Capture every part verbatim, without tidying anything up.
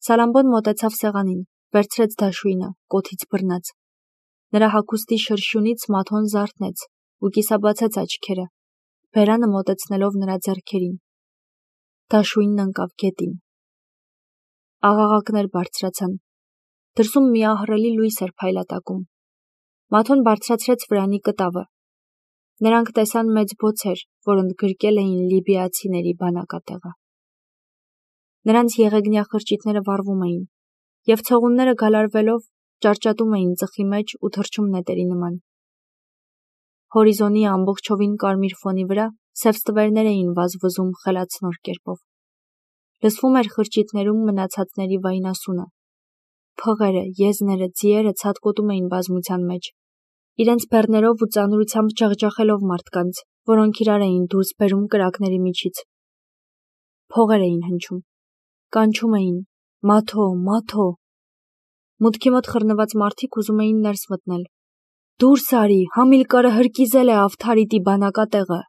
Սալամբոն մոտեցավ սեղանին, վերցրեց դաշույնը, կոթից բռնեց։ Նրա հագուստի շրշյունից Մաթոն զարթնեց ու կիսաբացեց աչքերը, բերանը մոտեցնելով նրա ձեռքերին։ Դաշույնն ընկավ գետին։ Աղաղակներ բարձրացան։ Դրսում մի ահռելի լույս էր փայլատակում։ Մաթոն բարձրացրեց վրանի կտավը։ Նրանք տեսան մեծ բոցեր, որ ընդգրկել էին լիբիացիների բանակատեղը։ Նրանց եղեգնյա խրճիթները վառվում էին, և ցողունները գալարվելով ճարճատում էին ծխի մեջ ու թռչում նետերի նման։ Հորիզոնի ամբողջովին կարմիր ֆոնի վրա սև ստվերներ էին վազվզում խելացնոր կերպով։ Լսվում էր խրճիթներում մնացածների վայնասունը։ Փղերը, եզները, ձիերը ցատկոտում էին բազմության մեջ, իրենց բեռներով ու ծանրությամբ ջախջախելով մարդկանց, որոնք իրար էին դուրս բերում կրակների միջից։ Փողեր էին հնչում, կանչում էին. «Մաթո, Մաթո»։ Մուտքի մոտ խռնված մարդիկ ուզում էին ներս մտնել։ «Դուրս արի, Համիլկարը հրկիզել է Ավթարիտի բանակատեղը»։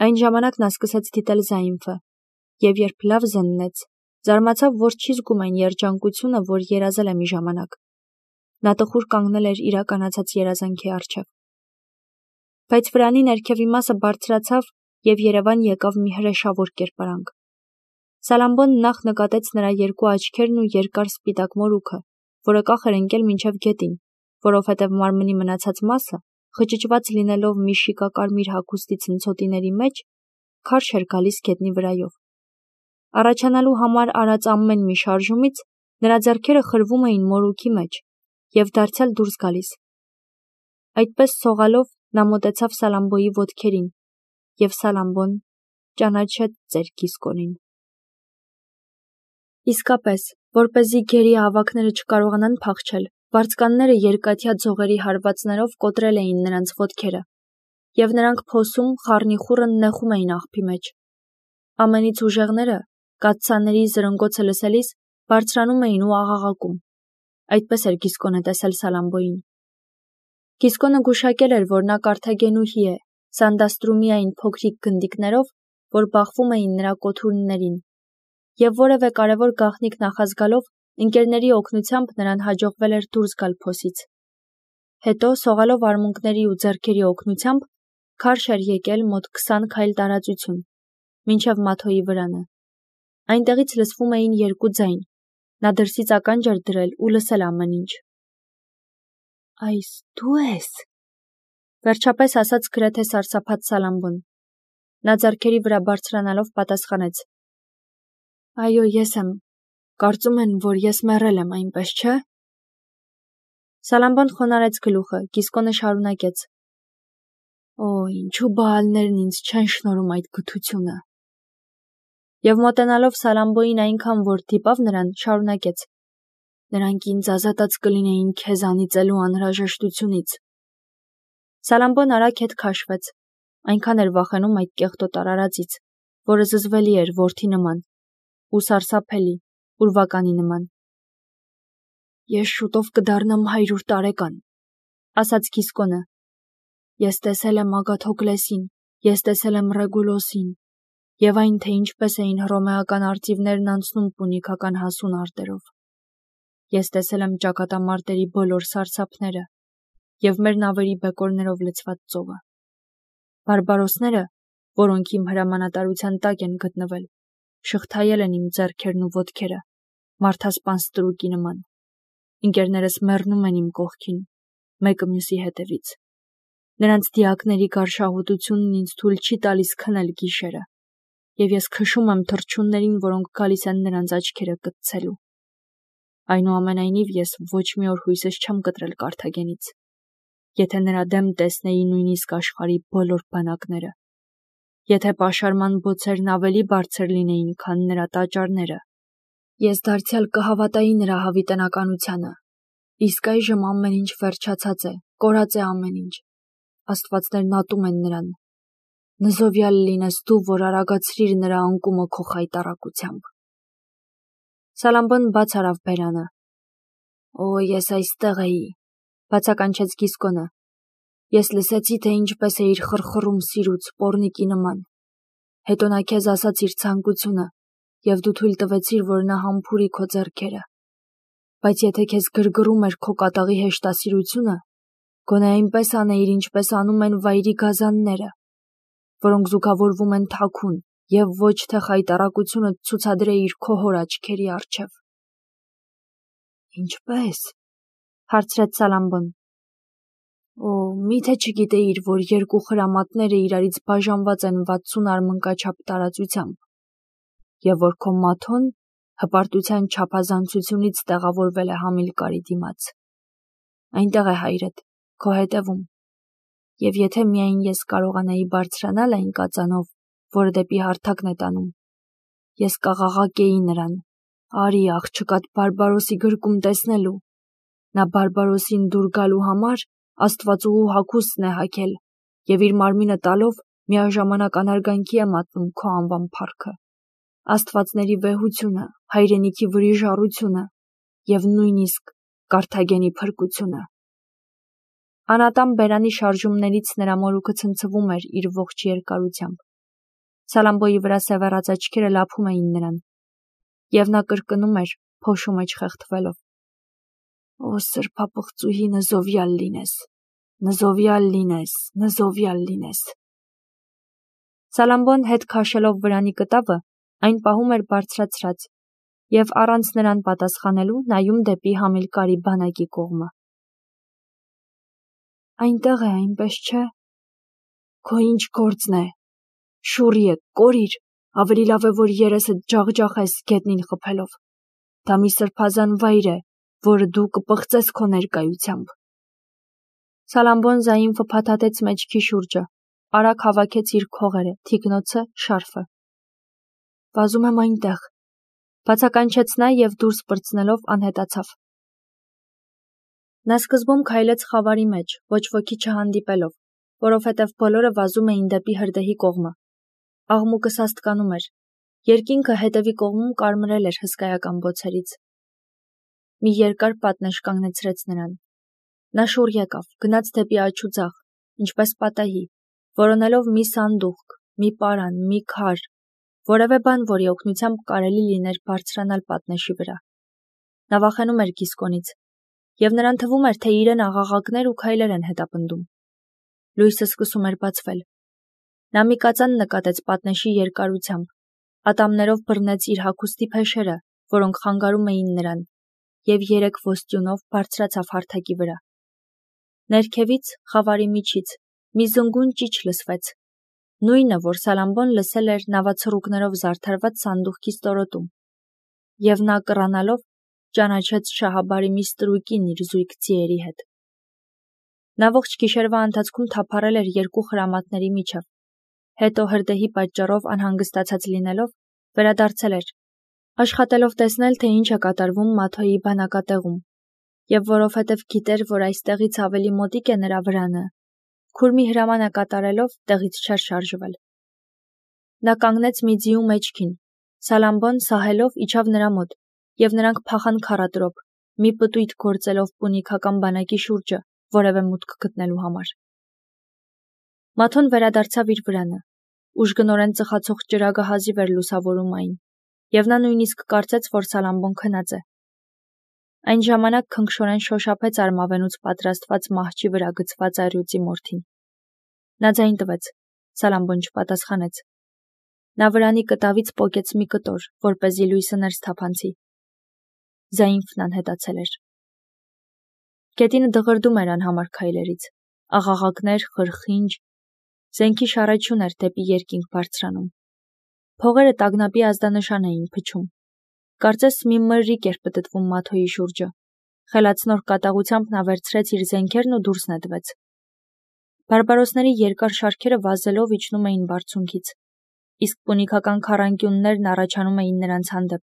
Այն ժամանակ նա սկսեց դիտել Զայինֆը, և երբ լավ զննեց, զարմացավ, որ չի զգում այն երջանկությունը, որ երազել է մի ժամանակ։ Նա տխուր կանգնել էր իրականացած երազանքի առջև։ Բայց վրանի ներքևի մասը բարձրացավ, և երևան եկավ մի հրեշավոր կերպարանք։ Սալամբոն նախ նկատեց նրա երկու աչքերն ու երկար սպիտակ մորուքը, որը կախ էր ընկել մինչև գետին, որովհետև մարմնի մնացած մասը, խճճված լինելով մի շիկակարմիր հագուստի ցնցոտիների մեջ, քարշ էր գալիս գետնի վրայով։ Առաջանալու համար արած ամեն մի շարժումից նրա ձեռքերը խրվում էին մորուքի մեջ և դարձյալ դուրս գալիս։ Այդպես սողալով նա մոտեցավ Սալամբոյի ոտքերին, և Սալամբոն ճանաչեց ծեր Գիսկոնին։ Իսկապես, որպեսզի գերի ավագները չկարողանան փախչել, վարձկանները երկաթյա ձողերի հարվածներով կոտրել էին նրանց ոտքերը, և նրանք փոսում խառնիխուռն նեխում էին աղբի մեջ։ Ամենից ուժեղները, կաթսաների զրնգոցը լսելիս, բարձրանում էին ու աղաղակում։ Այդպես էր Գիսկոնը տեսել Սալամբոյին։ Գիսկոնը գուշակել էր, որ նա կարթագենուհի է, Սանդաստրումի այն փոքրիկ գնդիկներով, որ բախվում էին նրա կոթուրներին, և որևէ կարևոր գաղտնիք նախազգալով ընկերների օգնությամբ նրան հաջողվել էր դուրս գալ փոսից։ Հետո, սողալով արմունկների ու ձեռքերի օգնությամբ, քարշ էր եկել մոտ քսան քայլ տարածություն, մինչև Մաթոյի վրանը։ Այնտեղից լսվում էին երկու ձայն։ Նա դրսից ականջ էր դրել ու լսել ամեն ինչ։ «Այս դու ես», վերջապես ասաց գրեթե սարսափած Սալամբոն։ Նա ձեռքերի վրա բարձրանալով պատասխանեց. «Այո, ես եմ։ Կարծում են, որ ես մեռել եմ, այնպես չէ»։ Սալամբոն խոնարհեց գլուխը, Գիսկոնը շարունակեց. «Օ, ինչու Բաալներն ինձ չեն շնորհում այդ գթությունը»։ Եվ մոտենալով Սալամբոյին այնքան, որ դիպավ նրան, շարունակեց. «Նրանք ինձ ազատած կլինեին քեզ անիծելու անհրաժեշտությունից»։ Սալամբոն արագ հետ քաշվեց, այնքան էր վախենում այդ կեղտոտ արարածից, որը զզվելի էր որդի նման, ու սարսափելի, ուրվականի նման։ «Ես շուտով կդառնամ հարյուր տարեկան», ասաց Գիսկոնը։ «Ես տեսել եմ Ագաթոկլեսին, ես տեսել եմ Ռեգուլոսին, և այն, թե ինչպես էին հռոմեական արծիվներն անցնում պունիկական հասուն արտերով։ Ես տեսել եմ ճակատամարտերի բոլոր սարսափները և մեր նավերի բեկորներով լցված ծովը։ Բարբարոսները, որոնք իմ հրամանատարության տակ են գտնվել, շղթայել են իմ ձեռքերն ու ոտքերը, մարդասպան ստրուկի նման։ Ընկերներս մեռնում են իմ կողքին, մեկը մյուսի հետևից։ Նրանց դիակների գարշահոտությունն ինձ թույլ չի տալիս քնել գիշերը, և ես քշում եմ թռչուններին, որոնք գալիս են նրանց աչքերը կտցելու։ Այնուամենայնիվ, ես ոչ մի օր հույսս չեմ կտրել Կարթագենից, եթե նրա դեմ տեսնեի նույնիսկ աշխարհի բոլոր բանակները, եթե պաշարման բոցերն ավելի բարձր լինեին, քան նրա տաճարները, ես դարձյալ կհավատայի նրա հավիտենականությանը։ Իսկ այժմ ամեն ինչ վերջացած է, կորած է ամեն ինչ։ Աստվածներն ատում են նրան։ Նզովյալ լինես դու, որ արագացրիր նրա անկումը քո խայտառակությամբ»։ Սալամբոն բաց արավ բերանը։ «Օ, ես այստեղ էի», բացականչեց Գիսկոնը։ «Ես լսեցի, թե ինչպես էիր խռխռում սիրուց, պոռնիկի նման։ Հետո նա քեզ ասաց իր ցանկությունը, և դու թույլ տվեցիր, որ նա համբուրի քո ձեռքերը, բայց եթե քեզ գրգռում էր քո կատաղի հեշտասիրությունը, գոնե այնպես անեիր, ինչպես անում են վայրի գազանները, որոնք զուգավորվում են թաքուն, և ոչ թե խայտառակությունը ցուցադրեիր քո հոր աչքերի առջև։ Ինչպե՞ս, հարցրեց Սալամբոն։ Օ, միթե չգիտեիր, որ երկու խրամատները իրարից բաժանված են վաթսուն արմնկաչափ տարածությամբ, և որ քո Մաթոն հպարտության չափազանցությունից տեղավորվել է Համիլկարի դիմաց։ Այնտեղ է հայրդ, քո հետևում, և եթե միայն ես կարողանայի բարձրանալ այն կածանով, որը դեպի հարթակն է տանում, ես կաղաղակեի նրան, արի աղջկատ Բարբարոսի գրկում տեսնելու, նա Բարբարոսին դուր գալու համար Աստվածուհու հագուստն է հագել և իր մարմինը տալով միաժամանակ անարգանքի է մատնում քո անվան փառքը, աստվածների վեհությունը, հայրենիքի վրիժառությունը և նույնիսկ Կարթագենի փրկությունը։ Անատամ բերանի շարժումներից նրա մորուքը ցնցվում էր իր ողջ երկարությամբ։ Սալամբոյի վրա սևեռած աչքերը լափում էին նրան, և նա կրկնում էր, փոշու մեջ խեղդվելով. Օ սրբապղծուհի, նզովյալ լինես, նզովյալ լինես, նզովյալ լինես։ Սալամբոն հետ քաշելով վրանի կտավը, այն պահում էր բարձրացրած և առանց նրան պատասխանելու նայում դեպի Համիլկարի բանակի կողմը։ Այնտեղ է, այնպես չէ։ Քո ինչ գործն է։ Շուռ եկ, կորիր, ավելի լավ է, որ երեսդ ջախջախես գետնին խփելով։ Դա մի սրբազան վայր է, որը դու կպղծես քո ներկայությամբ։ Սալամբոն զայինվը փաթաթեց մեջքի շուրջը, արագ հավաքեց իր քողերը, թիկնոցը, շարֆը։ Վազում եմ այնտեղ, բացականչեց նա և դուրս պրծնելով անհետացավ։ Նա սկզբում քայլեց խավարի մեջ, ոչ ոքի չհանդիպելով, որովհետև բոլորը վազում էին դեպի հրդեհի կողմը։ Աղմուկը սաստկանում էր, երկինքը հետևի կողմում կարմրել էր հսկայական բոցերից։ Մի երկար պատնեշ կանգնեցրեց նրան։ Նա շուռ եկավ, գնաց դեպի աջ ու ձախ, ինչպես պատահի, որոնելով մի սանդուղք, մի պարան, մի քար, որևէ բան, որի օգնությամբ կարելի լիներ բարձրանալ պատնեշի վրա։ Նա վախենում էր Գիսկոնից, և նրան թվում էր, թե իրեն աղաղակներ ու քայլեր են հետապնդում։ Լույսը սկսում էր բացվել։ Նա մի կածան նկատեց պատնեշի երկարությամբ, ատամներով բռնեց իր հագուստի փեշերը, որոնք խանգարում էին նրան, և երեք ոստյունով բարձրացավ հարթակի վրա։ Ներքևից, խավարի միջից, մի զնգուն ճիչ լսվեց, նույնը, որ Սալամբոն լսել էր նավացռուկներով զարդարված սանդուղքի ստորոտում, և նա կռանալով ճանաչեց Շահաբարի մի ստրուկին իր զույգ ձիերի հետ։ Նա ողջ գիշերվա ընթացքում թափառել էր երկու խրամատների միջև, հետո հրդեհի պատճառով անհանգստացած լինելով, վերադարձել էր, աշխատելով տեսնել, թե ինչ է կատարվում Մաթոյի բանակատեղում, և որովհետև գիտեր, որ այստեղից ավելի մոտիկ է նրա վրանը, քուրմի հրամանը կատարելով տեղից չէր շարժվել։ Նա կանգնեց մի ձիու մեջքին, Սալամբոն սահելով իջավ նրա մոտ, և նրանք փախան քառատրոփ, մի պտույտ գործելով պունիկական բանակի շուրջը, որևէ մուտք գտնելու համար։ Մաթոն վերադարձավ իր վրանը, ուժգնորեն ծխացող ճրագը հազիվ էր լուսավորում այն, և նա նույնիսկ կարծեց, որ Սալամբոն քնած է։ Այն ժամանակ քնքշորեն շոշափեց արմավենուց պատրաստված մահճի վրա գցված առյուծի մորթին։ Նա ձայն տվեց, Սալամբոն չպատասխանեց։ Նա վրանի կտավից պոկեց մի կտոր, որպեսզի լույսը ներս թափանցի։ Զայինվն անհետացել էր։ Գետինը դղրդում էր անհամար քայլերից, աղաղակներ, խրխինջ, զենքի շառեչյուն էր դեպի երկինք բարձրանում։ Փողերը տագնապի ազդանշան էին փչում։ Կարծես մի մրրիկ էր պտտվում Մաթոյի շուրջը։ Խելացնոր կատաղությամբ նա վերցրեց իր զենքերն ու դուրս նետվեց։ Բարբարոսների երկար շարքերը վազելով իջնում էին բարձունքից, իսկ պունիկական քառանկյուններն առաջանում էին նրանց հանդեպ,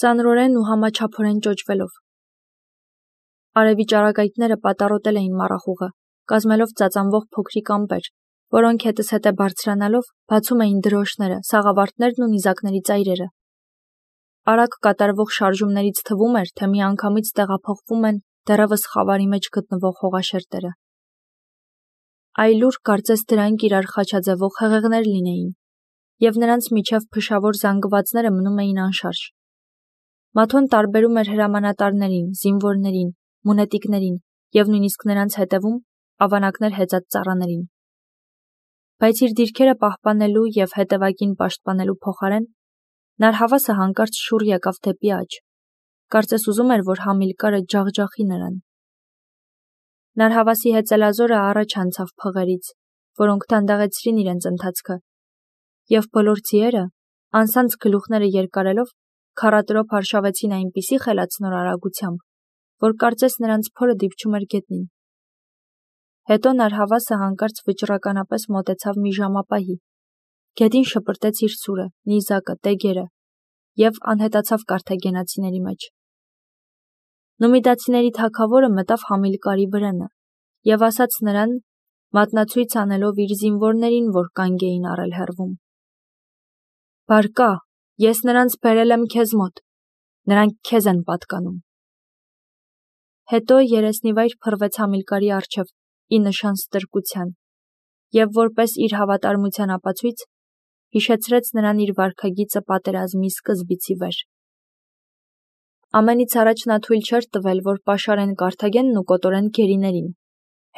ծանրորեն ու համաչափորեն ճոճվելով։ Արևի ճառագայթները պատառոտել էին մառախուղը, կազմելով ծածանվող փոքրիկ ամպեր, որոնք հետզհետե բարձրանալով բացում էին դրոշները, սաղավարտներն ու նիզակների ծայրերը։ Արագ կատարվող շարժումներից թվում էր, թե միանգամից տեղափոխվում են դեռևս խավարի մեջ գտնվող հողաշերտերը։ Այլուր կարծես դրանք իրար խաչաձևող հեղեղներ լինեին, և նրանց միջև փշավոր զանգվածները մնում էին անշարժ։ Մաթոն տարբերում էր հրամանատարներին, զինվորներին, մունետիկներին և նույնիսկ նրանց հետևում ավանակներ հեծած ծառաներին։ Բայց իր դիրքերը պահպանելու և հետևակին պաշտպանելու փոխարեն Նարհավասը հանկարծ շուռ եկավ դեպի աջ, կարծես ուզում էր, որ Համիլկարը ջախջախի նրան։ Նարհավասի հեծելազորը առաջ անցավ փղերից, որոնք դանդաղեցրին իրենց ընթացքը, և բոլոր ձիերը, անսանձ գլուխները երկարելով, քառատրոփ արշավեցին այնպիսի խելացնոր արագությամբ, որ կարծես նրանց փորը դիպչում էր գետնին։ Հետո Նարհավասը հանկարծ վճռականապես մոտեցավ մի ժամապահի, գետին շպրտեց իր սուրը, նիզակը, տեգերը և անհետացավ կարթագենացիների մեջ։ Նումիդացիների թագավորը մտավ Համիլկարի վրանը և ասաց նրան, մատնացույց անելով իր զինվորներին, որ կանգ էին առել հեռվում. «Բարկա, ես նրանց բերել եմ քեզ մոտ, նրանք քեզ են պատկանում»։ Հետո երեսնիվայր փռվեց Համիլկարի առջև ի նշան ստրկության և որպես իր հավատարմության ապացույց հիշեցրեց նրան իր վարքագիծը պատերազմի սկզբից ի վեր։ Ամենից առաջ նա թույլ չէր տվել, որ պաշարեն Կարթագենն ու կոտորեն գերիներին։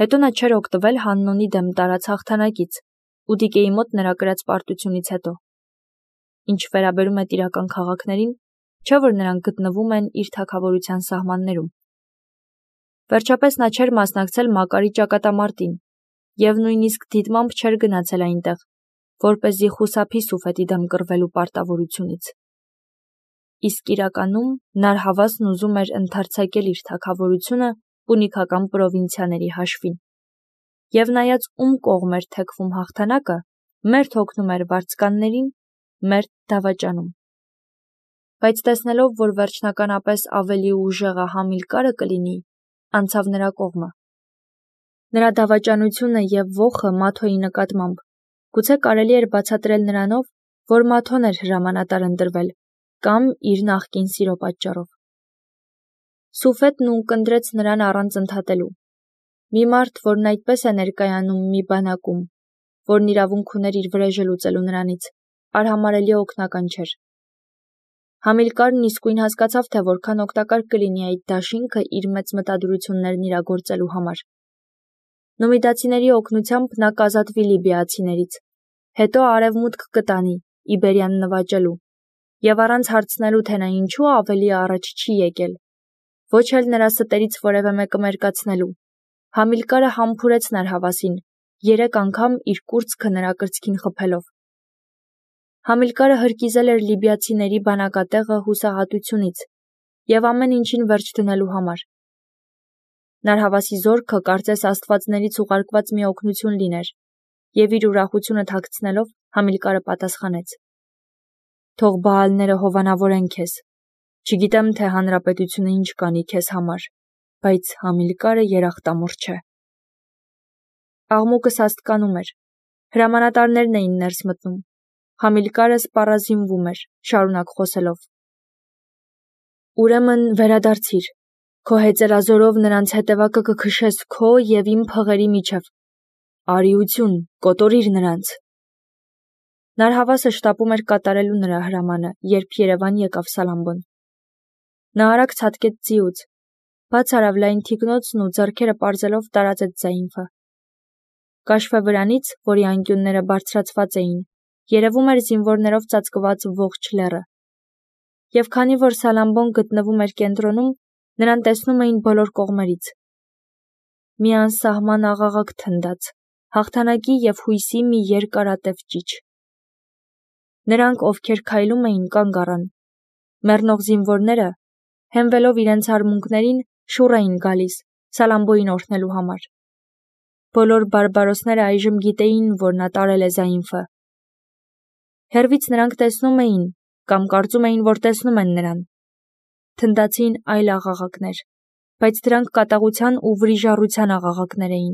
Հետո նա չէր օգտվել Հաննոնի դեմ տարած հաղթանակից ու Դիկեի մոտ նրա կրած պարտությունից հետո։ Ինչ վերաբերում է տիրական քաղաքներին, չէ՞ որ նրանք գտնվում են իր թագավորության սահմաններում։ Վերջապես նա չէր մասնակցել Մակարի ճակատամարտին և նույնիսկ դիտմամբ չէր գնացել այնտեղ, որպեսզի խուսափի Սուֆետի դեմ կռվելու պարտավորությունից։ Իսկ իրականում Նարհավասն ուզում էր ընդարձակել իր թագավորությունը պունիկական պրովինցիաների հաշվին։ Եվ նայած ում կողմ էր թեքվում հաղթանակը, մերթ հոգնում էր վարձկաններին, մերթ դավաճանում։ Բայց տեսնելով, որ վերջնականապես ավելի ուժեղը Համիլկարը կլինի, անցավ նրա կողմը։ Նրա դավաճանությունը և ոխը Մաթոյի նկատմամբ գուցե կարելի էր բացատրել նրանով, որ Մաթոն էր հրամանատար ընտրվել կամ իր նախկին սիրո պատճառով։ Սուֆետն ունկնդրեց նրան առանց ընդհատելու։ Մի մարդ, որն այդպես է ներկայանում մի բանակում, որն իրավունք ուներ իր վրեժը լուծելու նրանից, արհամարհելի օգնական չէր։ Համիլկարն իսկույն հասկացավ, թե որքան օգտակար կլինի այդ դաշինքը իր մեծ մտադրություններն իրագործելու համար։ Նումիդացիների օգնությամբ նա կազատվի լիբիացիներից, հետո արևմուտք կտանի, Իբերիան նվաճելու, և առանց հարցնելու, թե նա ինչու ավելի առաջ չի եկել, ոչ էլ նրա ստերից որևէ մեկը մերկացնելու, Համիլկարը համբուրեց Նարհավասին, երեք անգամ իր կուրծքը նրա կրծքին խփելով։ Համիլկարը հրկիզել էր լիբիացիների բանակատեղը հուսահատությունից և ամեն ինչին վերջ դնելու համար։ Նարհավասի զորքը կարծես աստվածներից ուղարկված մի օգնություն լիներ, և իր ուրախությունը թաքցնելով Համիլկարը պատասխանեց. «Թող բաալները հովանավորեն քեզ։ Չգիտեմ, թե հանրապետությունը ինչ կանի քեզ համար, բայց Համիլկարը երախտամոռ չէ»։ Աղմուկը սաստկանում էր։ Հրամանատարներն էին ներս մտնում։ Համիլկարը սպառազինվում էր, շարունակ խոսելով. «Ուրեմն վերադարձիր, քո հեծելազորով նրանց հետևակը կքշես քո և իմ փղերի միջև։ Արիություն, կոտորիր նրանց»։ Նարհավասը շտապում էր կատարելու նրա հրամանը, երբ Երևան եկավ Սալամբոն։ Նա արագ ցատկեց ձիուց, բաց արավ լայն թիկնոցն ու ձեռքերը պարզելով տարածեց զայինքը։ Կաշվե վրանից, որի անկյունները բարձրացված էին, երևում էր զինվորներով ծածկված ողջ լեռը։ Եվ քանի որ Սալամբոն գտնվում էր կենտրոնում, նրան տեսնում էին բոլոր կողմերից։ Մի անսահման աղաղակ թնդաց, հաղթանակի և հույսի մի երկարատև ճիչ։ Նրանք, ովքեր քայլում էին, կանգ առան։ Մեռնող զինվորները, հենվելով իրենց արմունկներին, շուռ էին գալիս Սալամբոյին օրհնելու համար։ Բոլոր բարբարոսները այժմ գիտեին, որ նա տարել է զայինքը։ Հեռվից նրանք տեսնում էին կամ կարծում էին, որ տեսնում են նրան։ Թնդացին այլ աղաղակներ, բայց դրանք կատաղության ու վրիժառության աղաղակներ էին,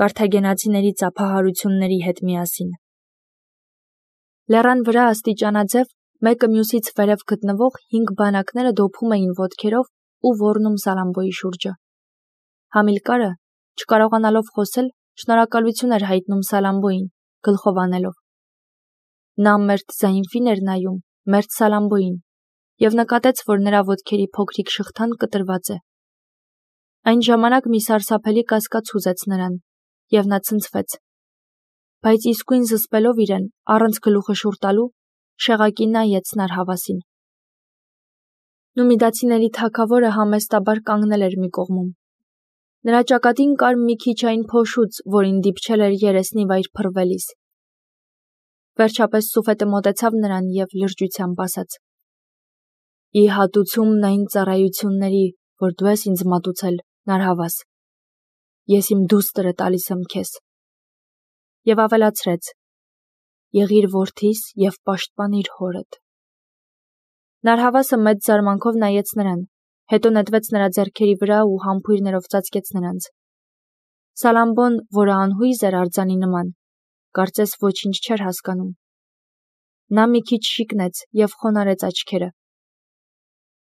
կարթագենացիների ծափահարությունների հետ միասին։ Լեռան վրա աստիճանաձև, մեկը մյուսից վերև գտնվող հինգ բանակները դոփում էին ոտքերով ու ոռնում Սալամբոյի շուրջը։ Համիլկարը, չկարողանալով խոսել, շնորհակալություն էր հայտնում Սալամբոյին, գլխով անելով։ Նա մերթ Զայինֆին էր նայում, մերթ Սալամբոյին, և նկատեց, որ նրա ոտքերի փոքրիկ շղթան կտրված է։ Այն ժամանակ մի սարսափելի կասկած հուզեց նրան, և նա ցնցվեց, բայց իսկույն զսպելով իրեն, առանց գլուխը շուռ տալու, շեղակի նայեց Նարհավասին։ Նումիդացիների թագավորը համեստաբար կանգնել էր մի կողմում։ Նրա ճակատին կար մի քիչ այն փոշուց, որին դիպչել էր երեսնի վայր փռվելիս։ Վերջապես Սուֆետը մոտեցավ նրան և լրջությամբ ասաց. «Ի հատուցումն այն ծառայությունների, որ դու ես ինձ մատուցել, Նարհավաս, ես իմ դուստրը տալիս եմ քեզ»։ Եվ ավելացրեց. «Եղիր որդիս և պաշտպանիր հորդ»։ Նարհավասը մեծ զարմանքով նայեց նրան, հետո նետվեց նրա ձեռքերի վրա ու համբույրներով ծածկեց նրանց։ Սալամբոն, որը անհույզ էր արձանի նման, կարծես ոչինչ չէր հասկանում։ Նա մի քիչ շիկնեց և խոնարհեց աչքերը։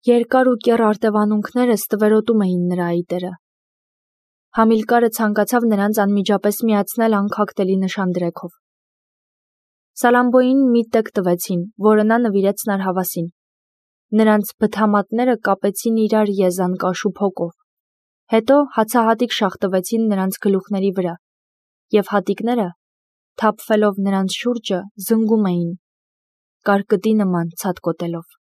Երկար ու կեռ արտևանունքները ստվերոտում էին նրա այտերը։ Համիլկարը ցանկացավ նրանց անմիջապես միացնել անքակտելի նշանդրեքով։ Սալամբոյին մի տեկ տվեցին, որը նա նվիրեց Նարհավասին։ Նրանց բթամատները կապեցին իրար եզան կաշու փոկով։ Հետո հացահատիկ շաղ տվեցին նրանց գլուխների վրա, և հատիկները, թափվելով նրանց շուրջը, զնգում էին, կարկտի նման ցատկոտելով։